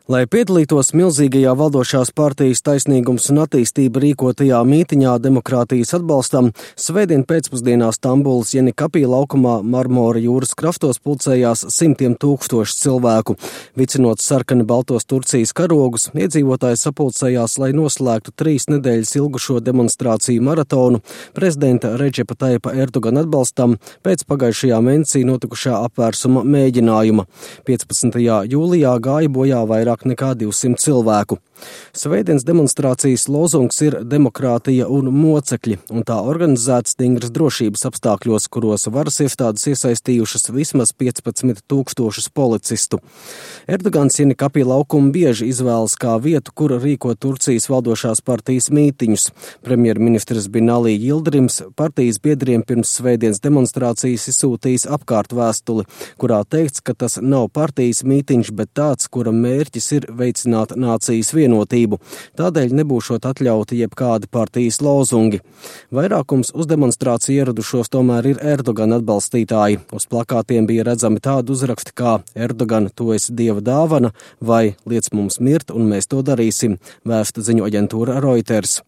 Lai piedalītos milzīgajā valdošās partijas Taisnīgums un attīstība rīkotajā mītiņā demokrātijas atbalstam, svētdien pēcpusdienā Stambulas Jenikapī laukumā Marmora jūras kraftos pulcējās simtiem tūkstoši cilvēku. Vicinot sarkani baltos Turcijas karogus, iedzīvotāji sapulcējās, lai noslēgtu 3 nedēļas ilgušo demonstrāciju maratonu prezidenta Redžepa Tayyipa Erdogana atbalstam pēc pagājušajā mēnesī notikušā apvērsuma mēģinājuma. 15. jūlijā gāja bojā vairāk nekā 200 cilvēku. Svētdienas demonstrācijas lozungs ir demokrātija un mocekļi, un tā organizēta stingras drošības apstākļos, kuros varas iestādes iesaistījušas vismaz 15 000 policistu. Erdogans Jenikapī laukumu bieži izvēlas kā vietu, kur rīko Turcijas valdošās partijas mītiņus. Premjerministrs Binali Yildirims partijas biedriem pirms svētdienas demonstrācijas izsūtījis apkārt vēstuli, kurā teikts, ka tas nav partijas mītiņš, bet tāds, kura mērķis ir veicināt nācijas vienotību. Tādēļ nebūšot atļauti jebkādi partijas lozungi. Vairākums uz demonstrāciju ieradušos tomēr ir Erdogana atbalstītāji. Uz plakātiem bija redzami tādi uzraksti kā Erdogan, tu esi dieva dāvana vai liec mums mirt un mēs to darīsim, vēsta ziņu aģentūra Reuters.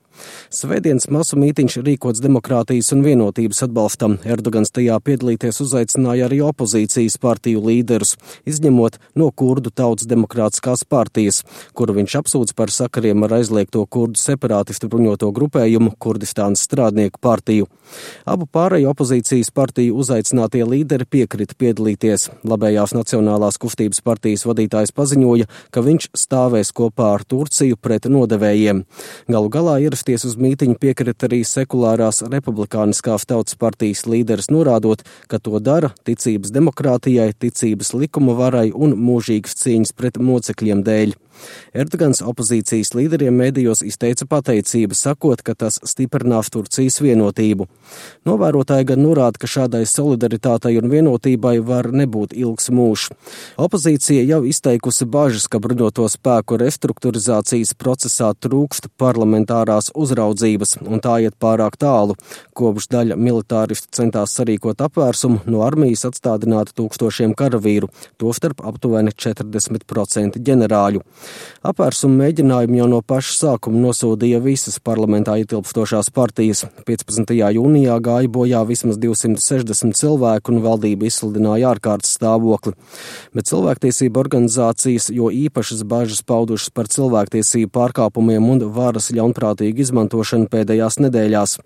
Svētdienas masu mītiņš rīkots demokrātijas un vienotības atbalstam. Erdogans tajā piedalīties uzaicināja arī opozīcijas partiju līderus, izņemot no kurdu tautas demokrātiskās partijas, kuru viņš apsūdz par sakariem ar aizliegto kurdu separātistu bruņoto grupējumu Kurdistānas strādnieku partiju. Abu pārējo opozīcijas partiju uzaicinātie līderi piekrita piedalīties. Labējās Nacionālās kustības partijas vadītājs paziņoja, ka viņš stāvēs kopā ar Turciju pret nodevējiem. Galu galā ierasties uz mītiņu piekrita arī sekulārās republikāniskās tautas partijas līderis, norādot, ka to dara ticības demokrātijai, ticības likuma varai un mūžīgas cīņas pret mocekļiem dēļ. Erdogans opozīcijas līderiem mēdījos izteica pateicību, sakot, ka tas stiprinās Turcijas vienotību. Novērotāji gan norāda, ka šādai solidaritātei un vienotībai var nebūt ilgs mūžs. Opozīcija jau izteikusi bažas, ka bruņoto spēku restruktūrizācijas procesā trūkst parlamentārās uzraudzības, un tā iet pārāk tālu. Kopš daļa militāristu centās sarīkot apvērsumu, no armijas atstādināti tūkstošiem karavīru, tostarp aptuveni 40% ģenerāļu. Apvērsuma mēģinājumu jau no paša sākuma nosodīja visas parlamentā ietilpstošās partijas. 15. jūnijā gāja bojā vismaz 260 cilvēku un valdība izsludināja ārkārtas stāvokli. Bet cilvēktiesība organizācijas jo īpašas bažas paudušas par cilvēktiesību pārkāpumiem un varas ļaunprātīgu izmantošanu pēdējās nedēļās.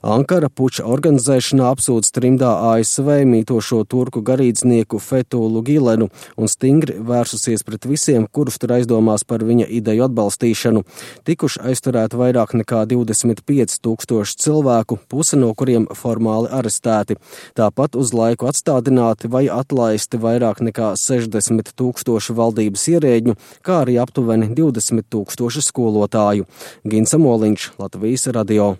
Ankara puča organizēšanā apsūdz trimdā ASV mītošo turku garīdznieku Fethullu Gülenu un stingri vērsusies pret visiem, kurus tur aizdomās par viņa ideju atbalstīšanu. Tikuši aizturēti vairāk nekā 25 000 cilvēku, puse no kuriem formāli arestēti. Tāpat uz laiku atstādināti vai atlaisti vairāk nekā 60 000 valdības ierēģņu, kā arī aptuveni 20 000 skolotāju. Gins Amoliņš, Latvijas radio.